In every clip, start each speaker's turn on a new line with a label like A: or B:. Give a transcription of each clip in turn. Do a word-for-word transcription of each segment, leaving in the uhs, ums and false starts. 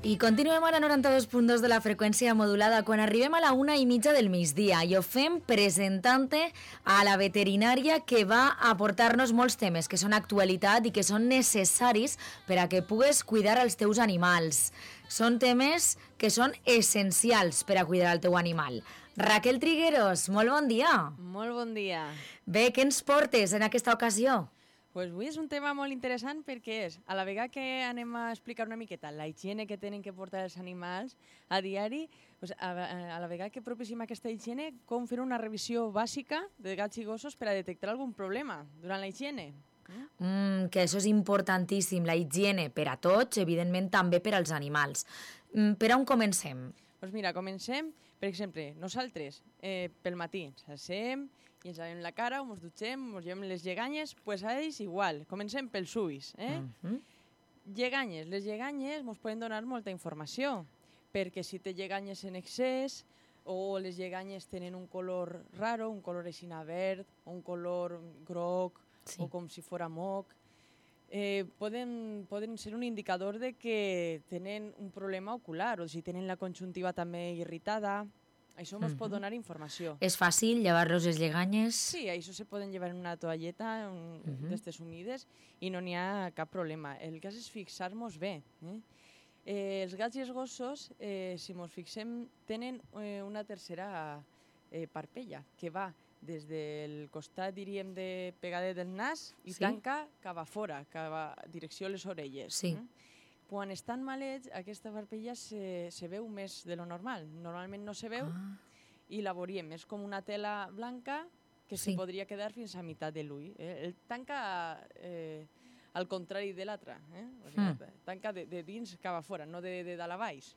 A: I continuem a la noranta-dos punt dos de la freqüència modulada quan arribem a la una i mitja del migdia i ho fem presentant-te a la veterinària que va aportar-nos molts temes que són actualitat i que són necessaris per a que pugues cuidar els teus animals. Són temes que són essencials per a cuidar el teu animal. Raquel Trigueros, molt bon dia.
B: Molt bon dia.
A: Bé, què ens portes en aquesta ocasió?
B: Pues avui és un tema molt interessant perquè és, a la vegada que anem a explicar una miqueta la higiene que tenen que portar els animals a diari, pues a, a la vegada que propiciem aquesta higiene, com fer una revisió bàsica de gats i gossos per a detectar algun problema durant la higiene.
A: Mm, que això és importantíssim, la higiene per a tots, evidentment també per als animals. Mm, per on comencem?
B: Doncs mira, comencem, per exemple, nosaltres eh, pel matí ens assem i ens lavem la cara, o ens dutxem, ens llevem les lleganyes, doncs pues a ells igual, comencem pels ulls. Eh? Mm-hmm. Lleganyes, les lleganyes ens poden donar molta informació, perquè si té lleganyes en excés o les lleganyes tenen un color raro, un color aixina verd, un color groc, sí, o com si fora moc, Eh, poden, poden ser un indicador de que tenen un problema ocular o si tenen la conjuntiva també irritada. Això ens mm-hmm. pot donar informació.
A: És fàcil llevar-los les lleganyes?
B: Sí, això se poden llevar en una toalleta un, mm-hmm. d'estes humides i no n'hi ha cap problema. El cas és fixar-nos bé. Eh? Eh, els gats i els gossos, eh, si ens fixem, tenen eh, una tercera eh, parpella que va des del costat, diríem, de pegada del nas i sí, tanca cap a fora, cap a direcció a les orelles.
A: Sí.
B: Eh? Quan estan malets, aquesta parpella se, se veu més de lo normal. Normalment no se veu ah. i la veuríem. És com una tela blanca que sí, se podria quedar fins a meitat de l'ull. Eh? El tanca eh, al contrari de l'altre. Eh? O sigui, mm. Tanca de, de dins cap a fora, no de, de dalt a baix.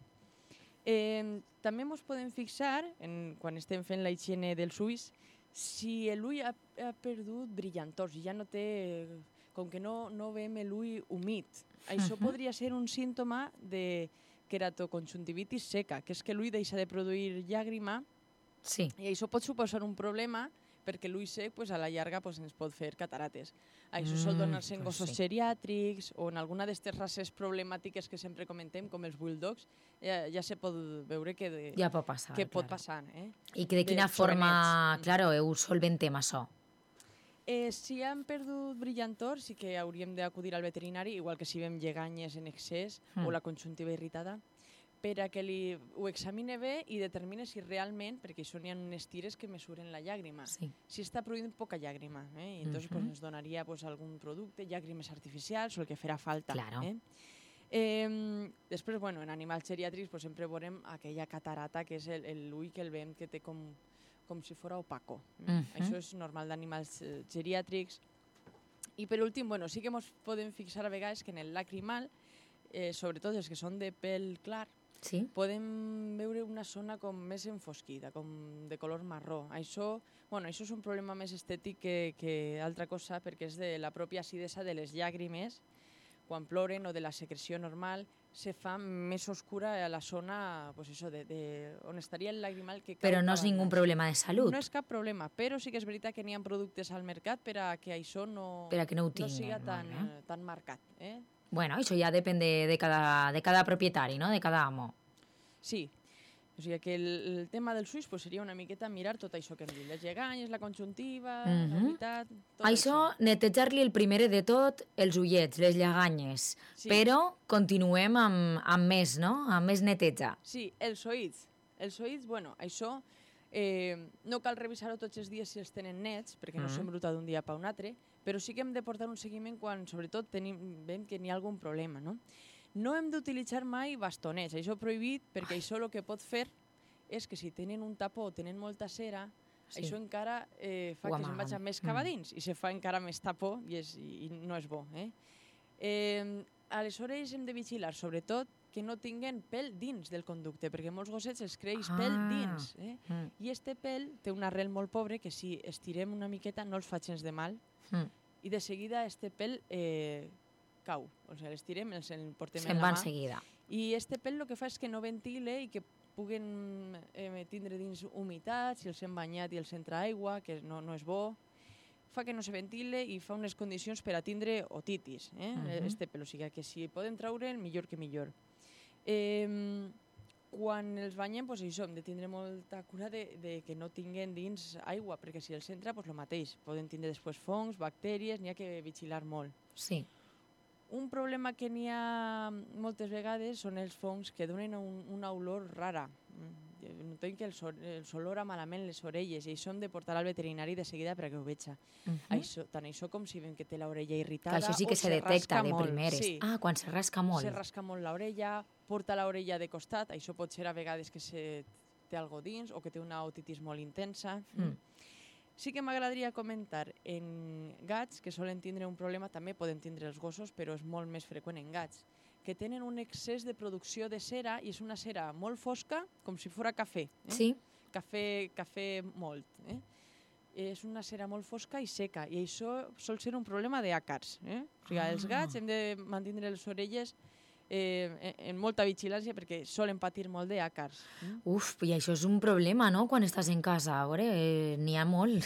B: Eh, també ens podem fixar, en, quan estem fent la higiene dels ulls, si l'ull ha, ha perdut brillantors i ja no té, com que no, no veiem l'ull humit. Això uh-huh. podria ser un símptoma de queratoconjuntivitis seca, que és que l'ull deixa de produir llàgrima sí, i això pot suposar un problema perquè l'ull sec pues, a la llarga pues, ens pot fer catarates. Això mm, sol donar-se en gossos sí, geriàtrics o en alguna d'aquestes races problemàtiques que sempre comentem, com els bulldogs, ja, ja se pot veure que, de,
A: ja pot passar,
B: que
A: claro.
B: pot passar. Eh?
A: I que de quina de forma, claro, heu solventem això?
B: Eh, si han perdut brillantor, sí que hauríem d'acudir al veterinari, igual que si veiem lleganyes en excés mm. o la conjuntiva irritada, per a que li, ho examine bé i determine si realment, perquè això n'hi ha unes tires que mesuren la llàgrima, sí, si està produint poca llàgrima. Eh? I entonces, uh-huh. pues, ens donaria pues, algun producte, llàgrimes artificials o el que farà falta.
A: Claro.
B: Eh? Eh, després, bueno, en animals geriàtrics pues, sempre veurem aquella catarata que és l'ull que el veiem que té com, com si fos opaco. Eh? Uh-huh. Això és normal d'animals eh, geriàtrics. I per últim, bueno, sí que ens podem fixar a vegades que en el lacrimal, eh, sobretot els que són de pèl clar, sí, podem veure una zona com més enfosquida, com de color marró. Això, bueno, això és un problema més estètic que, que altra cosa, perquè és de la pròpia acidesa de les llàgrimes, quan ploren, o de la secreció normal, se fa més oscura a la zona pues eso, de, de, on estaria el lagrimal. Que
A: però no és ningú problema de salut.
B: No és cap problema, però sí que és veritat que n'hi ha productes al mercat per a que això no,
A: per a que no, ho tinguen,
B: no siga tan,
A: eh?
B: tan marcat. Eh?
A: Bueno, això ja depèn de, de, cada, de cada propietari, no? De cada amo.
B: Sí, o sigui que el, el tema dels ulls pues, seria una miqueta mirar tot això que hem dit, les lleganyes, la conjuntiva, mm-hmm. la veritat... Tot
A: això, això. Netejar-li el primer de tot els ullets, les lleganyes, sí, però continuem amb, amb més, no? Amb més neteja.
B: Sí, els oïts. Els oïts, bueno, això eh, no cal revisar-ho tots els dies si els tenen nets, perquè no mm-hmm. s'embruta d'un dia per un altre, però sí que hem de portar un seguiment quan, sobretot, tenim, veiem que n'hi ha algun problema, no? No hem d'utilitzar mai bastonets, això prohibit, perquè Ai. això el que pot fer és que si tenen un tapó o tenen molta cera, sí, això encara eh, fa que se'n vagi més cap a dins mm. i se fa encara més tapó i, és, i no és bo. Eh? Eh, aleshores hem de vigilar, sobretot, que no tinguen pèl dins del conducte, perquè molts gossets els creix ah. pèl dins. Eh? Mm. I este pèl té un arrel molt pobre que si estirem una miqueta no els fa gens de mal mm. i de seguida este pèl eh, cau. O sigui, l'estirem, els el portem
A: Se'n
B: en la
A: va
B: mà.
A: Seguida.
B: I este pèl el que fa és que no ventile i que puguen eh, tindre dins humitat, si els hem banyat i els entra aigua, que no, no és bo. Fa que no se ventile i fa unes condicions per a tindre otitis, eh? Uh-huh. Este pèl. O sigui, que si poden traure'l, millor que millor. Eh, quan els banyem, doncs això, hem de tindre molta cura de, de que no tinguen dins aigua, perquè si els entra, doncs el mateix. Poden tindre després fongs, bactèries, n'hi ha que vigilar molt.
A: Sí.
B: Un problema que n'hi ha moltes vegades són els fongs que donen un, una olor rara. Notem que els, els olora malament les orelles i això hem de portar al veterinari de seguida perquè ho veja. Uh -huh. Això, tant això com si veiem que té l'orella irritada.
A: Que això sí que se, se detecta de molt. Primeres. Sí. Ah, quan se rasca molt.
B: Se rasca molt l'orella, porta l'orella de costat, això pot ser a vegades que se té algo dins o que té una otitis molt intensa. Mm. Sí que m'agradaria comentar en gats que solen tindre un problema, també poden tindre els gossos, però és molt més freqüent en gats, que tenen un excés de producció de cera i és una cera molt fosca, com si fos cafè. Eh?
A: Sí.
B: Cafè, cafè molt. Eh? És una cera molt fosca i seca, i això sol ser un problema d'àcars. Eh? O sigui, ah. Els gats hem de mantenir les orelles eh, en molta vigilància perquè solen patir molt d'àcars.
A: Mm? Uf, i això és un problema, no?, quan estàs en casa. A veure, eh, n'hi ha molt.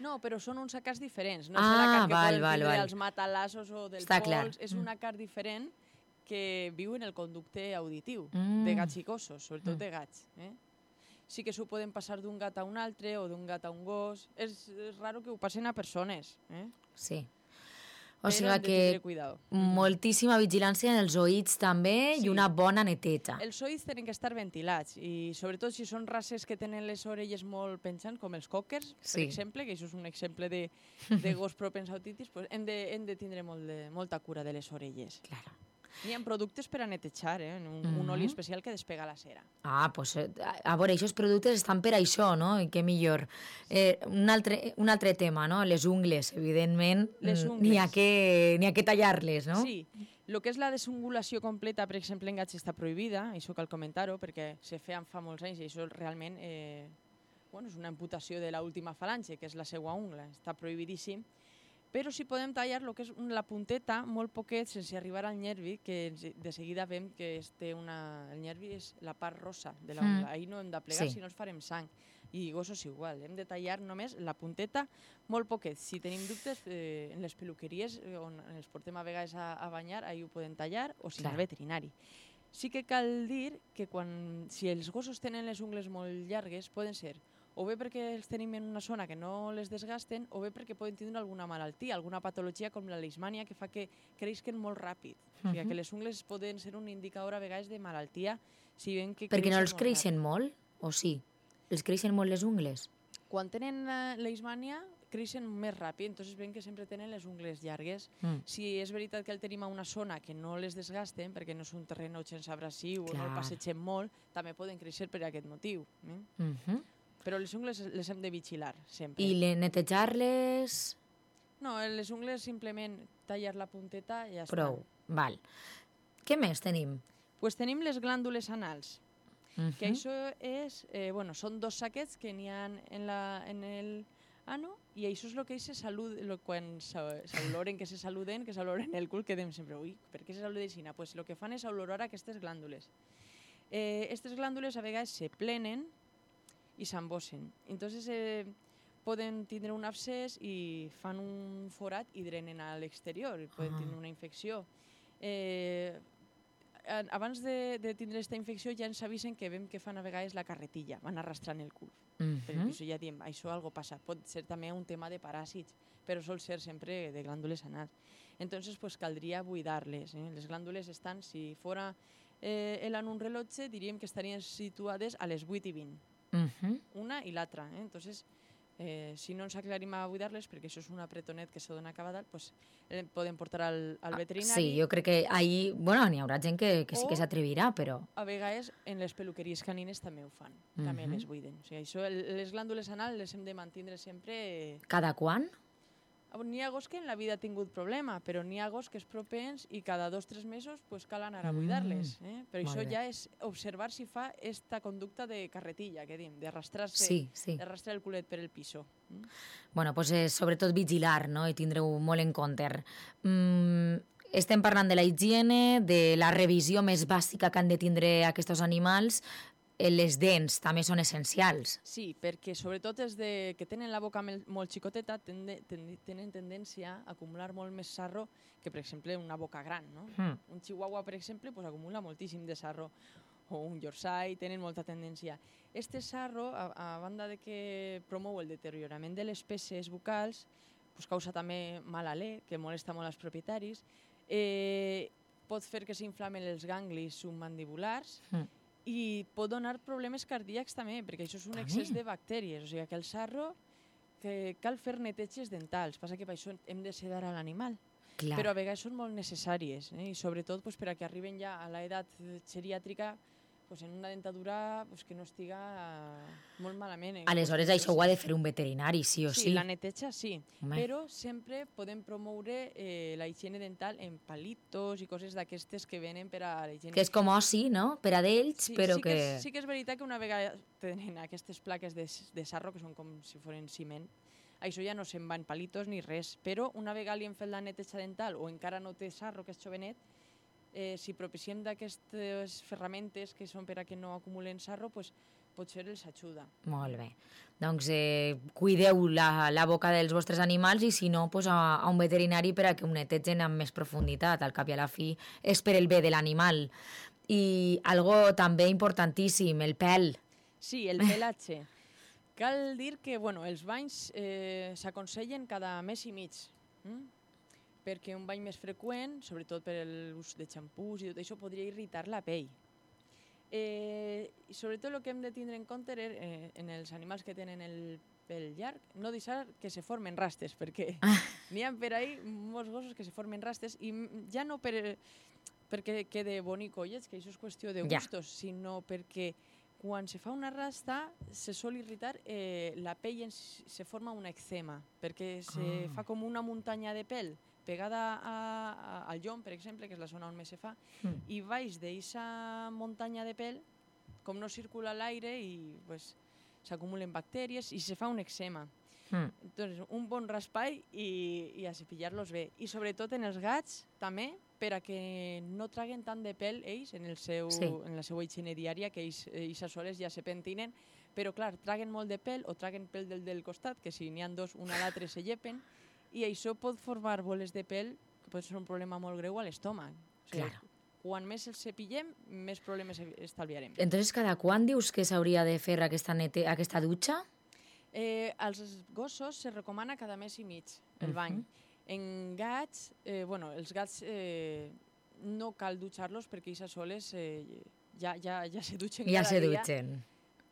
B: No, però són uns àcars diferents. No
A: ah,
B: és l'àcar que
A: val,
B: poden
A: val,
B: tindre
A: val.
B: els matalassos o del
A: Està
B: pols.
A: Clar.
B: És un àcar diferent que viu en el conducte auditiu
A: mm.
B: de gats i gossos, sobretot
A: mm.
B: de gats. Eh? Sí que s'ho poden passar d'un gat a un altre o d'un gat a un gos. És, és raro que ho passen a persones. Eh?
A: Sí. O
B: Però
A: sigui que moltíssima vigilància en els oïts també sí. I una bona neteja.
B: Els oïts tenen que estar ventilats i sobretot si són races que tenen les orelles molt penjants, com els cockers, sí. per exemple, que això és un exemple de, de gos propens a otitis, pues hem, de, hem de tindre molt de, molta cura de les orelles.
A: Claro.
B: N'hi ha productes per a netejar, eh? un, mm-hmm. un oli especial que despega la cera.
A: Ah, doncs, a veure, aquests productes estan per això, no? I què millor. Eh, un, altre, un altre tema, no? Les ungles, evidentment, n'hi ha, que, n'hi ha que tallar-les, no?
B: Sí. El que és la desungulació completa, per exemple, en gats està prohibida, això cal comentar-ho, perquè se feia fa molts anys i això realment eh, bueno, és una amputació de l'última falange, que és la seva ungla, està prohibidíssim. Però si podem tallar el que és la punteta molt poquet sense arribar al nervi, que de seguida veiem que té una... el nervi és la part rosa de l'ungla. Mm. Ahir no hem de plegar, sí. Si no ens farem sang. I gossos igual, hem de tallar només la punteta molt poquet. Si tenim dubtes, eh, en les peluqueries on ens portem a vegades a, a banyar, ahir ho podem tallar, o si no al veterinari. Sí que cal dir que quan, si els gossos tenen les ungles molt llargues, poden ser o bé perquè els tenim en una zona que no les desgasten, o bé perquè poden tindre alguna malaltia, alguna patologia com la leishmània, que fa que creixen molt ràpid. Uh-huh. O sigui, que les ungles poden ser un indicador a vegades de malaltia. Si ven que
A: perquè no els creixen molt, o sí? Els creixen molt les ungles?
B: Quan tenen uh, leishmània, creixen més ràpid, entonces ven que sempre tenen les ungles llargues. Mm. Si és veritat que el tenim a una zona que no les desgasten, perquè no és un terreny gens abrasiu o no el passegem molt, també poden créixer per aquest motiu. Eh? Uh-huh. Però les ungles les hem de vigilar, sempre.
A: I netejar-les?
B: No, les ungles simplement tallar la punteta i ja està.
A: Prou, val. Què més tenim?
B: Pues tenim les glàndules anals, uh-huh. que això és, eh, bueno, són dos saquets que n'hi ha en, la, en el ano, i això és el que se salud, lo, quan s'oloren, que se saluden, que s'oloren el cul, que dèiem sempre, ui, per què se saluden així? Pues el que fan és olorar aquestes glàndules. Eh, aquestes glàndules a vegades se plenen i s'embossen. Entonces eh, poden tindre un abscés i fan un forat i drenen a l'exterior, poden tindre una infecció. Eh, abans de, de tindre aquesta infecció ja ens avisen que veiem que fan a vegades la carretilla, van arrastrant el cul. Uh-huh. Però això ja diem, això algo passa. Pot ser també un tema de paràsits, però sol ser sempre de glàndules anals. Entonces pues, caldria buidar-les. Eh? Les glàndules estan, si fora eh, en un rellotge, diríem que estarien situades a les vuit i vint. Uh-huh. Una i l'altra. Eh? Entonces, eh, si no ens aclarim a buidar-les, perquè això és un apretonet que se dona a cada dalt, pues, eh, podem portar al, al veterinari.
A: Sí, jo crec que ahí, bueno, n'hi haurà gent que, que sí que s'atrevirà, però...
B: A vegades en les peluqueries canines també ho fan, uh-huh. també les buiden. O sigui, això, les glàndules anals les hem de mantindre sempre...
A: Cada quan?
B: N'hi ha gos que en la vida ha tingut problema, però n'hi ha gos que és propens i cada dos o tres mesos pues, cal anar a buidar-les. Eh? Però això ja és observar si fa esta conducta de carretilla, que dim, d'arrastrar-se,
A: sí, sí.
B: d'arrastrar el culet per el piso. Mm?
A: Bueno, pues, eh, sobretot vigilar, no? I tindre-ho molt en compte. Mm, estem parlant de la higiene, de la revisió més bàsica que han de tindre aquests animals. les dents també són essencials.
B: Sí, perquè sobretot els de, que tenen la boca molt xicoteta tende, tende, tenen tendència a acumular molt més sarro que, per exemple, una boca gran. No? Mm. Un chihuahua, per exemple, pues, acumula moltíssim de sarro, o un yorkshire, tenen molta tendència. Este sarro, a, a banda de que promou el deteriorament de les peces bucals, pues, causa també mal alè, que molesta molt als propietaris, eh, pot fer que s'inflamen els ganglis submandibulars mm. i pot donar problemes cardíacs també, perquè això és un excés de bactèries. O sigui que el sarro que cal fer neteges dentals. Passa que per això hem de sedar a l'animal. Clar. Però a vegades són molt necessàries, eh? I sobretot pues, per a que arriben ja a l'edat geriàtrica pues, en una dentadura pues, que no estiga uh, molt malament. Eh?
A: Aleshores
B: pues,
A: això ho ha de fer un veterinari, sí o sí?
B: Sí, la neteja sí, Home. Però sempre podem promoure eh, la higiene dental en palitos i coses d'aquestes que venen per a la higiene.
A: Que és com oci, no?, per a d'ells,
B: sí,
A: però
B: sí
A: que...
B: que... És, sí que és veritat que una vegada tenen aquestes plaques de, de sarro, que són com si foren ciment, això ja no se'n va en palitos ni res, però una vegada li hem fet la neteja dental o encara no té sarro, que és jovenet, eh, si propiciem d'aquestes ferramentes que són per a que no acumulen sarro, pues, potser els ajuda.
A: Molt bé. Doncs eh, cuideu la, la boca dels vostres animals i si no, pues, a, a un veterinari per a que ho netegen amb més profunditat. Al cap i a la fi és per el bé de l'animal. I algo també importantíssim, el pèl.
B: Sí, el pelatge. Cal dir que bueno, els banys eh, s'aconsellen cada mes i mig, hm? perquè un bany més freqüent, sobretot per l'ús de xampús i tot això, podria irritar la pell. Eh, i sobretot el que hem de tindre en compte eh, en els animals que tenen el pèl llarg, no deixar que se formen rastes, perquè ah. n'hi ha per ahí molts gossos que se formen rastes, i ja no per, perquè quede bonic o lleig, que això és qüestió de gustos, ja. sinó perquè quan se fa una rasta se sol irritar eh, la pell, en, se forma un eczema, perquè se ah. fa com una muntanya de pèl pegada a, a, al llom, per exemple, que és la zona on més se fa, mm. i baix d'aquesta muntanya de pèl, com no circula l'aire, i pues, s'acumulen bactèries i se fa un eczema. Mm. Entonces, un bon raspall i, i a cepillar-los bé. I sobretot en els gats, també, per a que no traguen tant de pèl ells en, el seu, sí. en la seva higiene diària, que ells, ells a soles ja se pentinen, però clar, traguen molt de pèl o traguen pèl del, del costat, que si n'hi ha dos, un a l'altre se llepen, i això pot formar boles de pèl, que pot ser un problema molt greu a l'estómac. O sigui, claro. Quan més els cepillem, més problemes estalviarem.
A: Entonces, cada quan dius que s'hauria de fer aquesta, nete aquesta dutxa?
B: Eh, als gossos se recomana cada mes i mig el bany. Uh-huh. En gats, eh, bueno, els gats eh, no cal dutxar-los perquè ells a soles eh, ja, ja, ja se dutxen
A: ja
B: cada
A: se
B: dia.
A: Dutxen.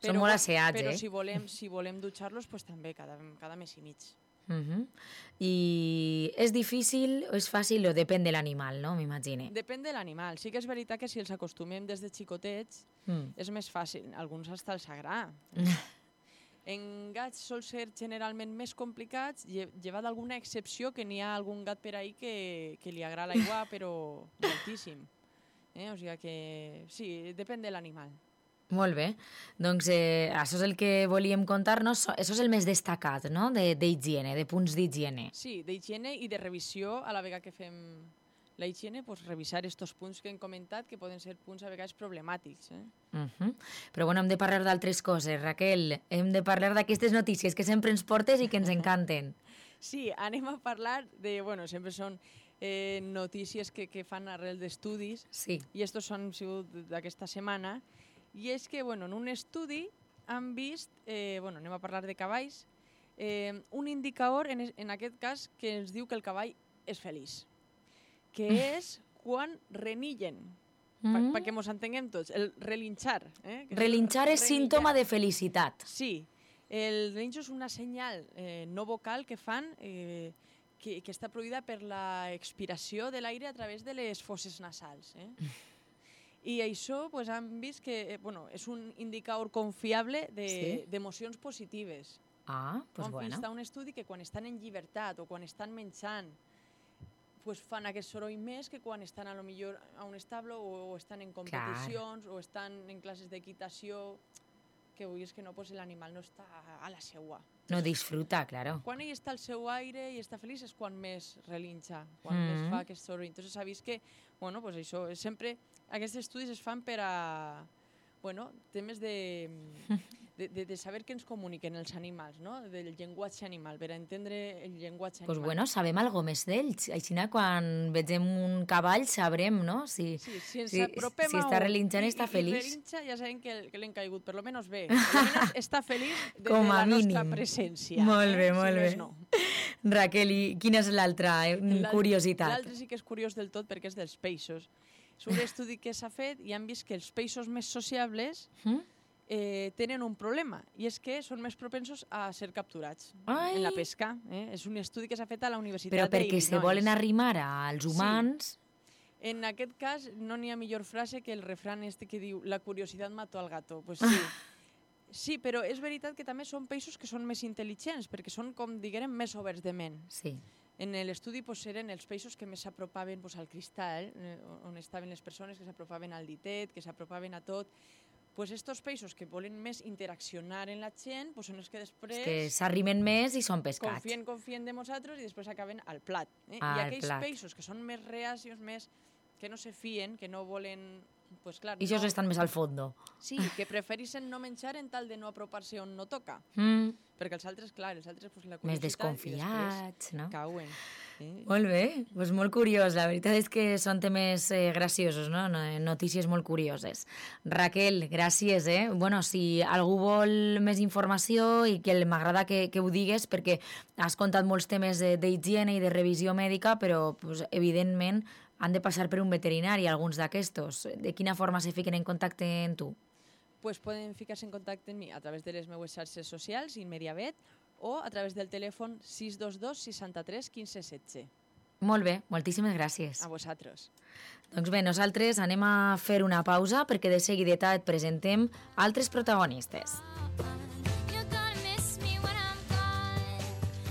A: Són molt asseats,
B: però
A: eh?
B: Però si volem, si volem dutxar-los, pues, també cada, cada mes i mig.
A: Uh-huh. I és difícil o és fàcil o depèn de l'animal, no? M'imagine.
B: Depèn de l'animal. Sí que és veritat que si els acostumem des de xicotets mm. és més fàcil. Alguns hasta els agrada. En gats sol ser generalment més complicats, llevat d'alguna excepció, que n'hi ha algun gat per ahí que, que li agrada l'aigua, però moltíssim. Eh? O sigui que sí, depèn de l'animal.
A: Molt bé. Doncs eh, això és el que volíem contar-nos. Això és el més destacat, no?, d'higiene, de, de punts d'higiene.
B: Sí, d'higiene i de revisió a la vegada que fem la higiene, pues, revisar aquests punts que hem comentat, que poden ser punts a vegades problemàtics. Eh?
A: Uh-huh. Però bueno, hem de parlar d'altres coses, Raquel. Hem de parlar d'aquestes notícies que sempre ens portes i que ens encanten.
B: Sí, anem a parlar de... Bueno, sempre són eh, notícies que, que fan arrel d'estudis. Sí. I estos són sigut d'aquesta setmana. I és que, bueno, en un estudi han vist, eh, bueno, anem a parlar de cavalls, eh, un indicador, en, en aquest cas, que ens diu que el cavall és feliç, que és quan renillen, mm. perquè mos entenguem tots, el relinxar. Eh?
A: Relinxar és símptoma de felicitat.
B: Sí, el relinxo és una senyal eh, no vocal que fan, eh, que, que està produïda per l'expiració de l'aire a través de les fosses nasals. Eh? I això pues, han vist que bueno, és un indicador confiable d'emocions de, sí? positives.
A: Ah, doncs pues
B: bueno. Han
A: vist
B: un estudi que quan estan en llibertat o quan estan menjant pues, fan aquest soroll més que quan estan a lo millor a un establo o, o estan en competicions Clar. O estan en classes d'equitació, que avui és que no, pues, l'animal no està a la seua.
A: No disfruta, claro.
B: Quan ell està al seu aire i està feliç és quan més relinxa, quan mm. més fa aquest soroll. Entonces s'ha vist que, bueno, pues això, sempre aquests estudis es fan per a, bueno, temes de, de, de, de saber què ens comuniquen els animals, no? Del llenguatge animal, per entendre el llenguatge
A: pues
B: animal.
A: Bueno, sabem algo més d'ells. Així, quan vegem un cavall, sabrem, no? Si,
B: sí, si ens
A: si,
B: apropem
A: si
B: a
A: està
B: un
A: relinxant,
B: i,
A: està
B: i,
A: feliç.
B: I relinxa, ja sabem que, que l'hem caigut, per lo menos bé. Per lo menos està feliç de,
A: Com
B: de
A: a
B: la
A: mínim.
B: nostra presència.
A: Molt bé,
B: eh?
A: molt
B: si
A: bé.
B: No.
A: Raquel, i quina és l'altra curiositat?
B: L'altre sí que és curiós del tot perquè és dels peixos. És un estudi que s'ha fet i han vist que els peixos més sociables mm? eh, tenen un problema, i és que són més propensos a ser capturats Ai. en la pesca. Eh? És un estudi que s'ha fet a la Universitat
A: d'Illinois. Però perquè
B: d'Illinois.
A: se volen arrimar als humans...
B: Sí. En aquest cas no n'hi ha millor frase que el refrán este que diu la curiositat mató al gato. Pues sí. Sí, però és veritat que també són peixos que són més intel·ligents, perquè són, com diguem, més oberts de ment.
A: Sí.
B: En l'estudi pues, eren els peixos que més s'apropaven pues, al cristall, eh, on estaven les persones que s'apropaven al ditet, que s'apropaven a tot. Pues estos peixos que volen més interaccionar en la gent pues, són els que després...
A: Els que s'arrimen més i són pescats.
B: Confien, confien de nosaltres i després acaben al plat. Eh?
A: Ah,
B: I aquells
A: plat.
B: peixos que són més reacios, més que no se fien, que no volen... Pues, clar,
A: I això
B: no...
A: estan més al fondo.
B: Sí, que preferissin no menjar en tal de no apropar-se on no toca.
A: Mm.
B: Perquè els altres, clar, els altres pues, la curiositat...
A: Més desconfiats, no?
B: Cauen. Eh?
A: Molt bé, pues molt curiós. La veritat és que són temes eh, graciosos, no? Notícies molt curioses. Raquel, gràcies, eh? Bueno, si algú vol més informació i que m'agrada que, que ho digues, perquè has contat molts temes d'higiene i de revisió mèdica, però pues, evidentment han de passar per un veterinari, alguns d'aquestos. De quina forma se fiquen en contacte amb tu?
B: Pues poden ficar-se en contacte amb mi a través de les meves xarxes socials, Inmediavet, o a través del telèfon sis dos dos seixanta-tres quinze setze.
A: Molt bé, moltíssimes gràcies.
B: A vosaltres.
A: Doncs bé, nosaltres anem a fer una pausa perquè de seguideta et presentem altres protagonistes.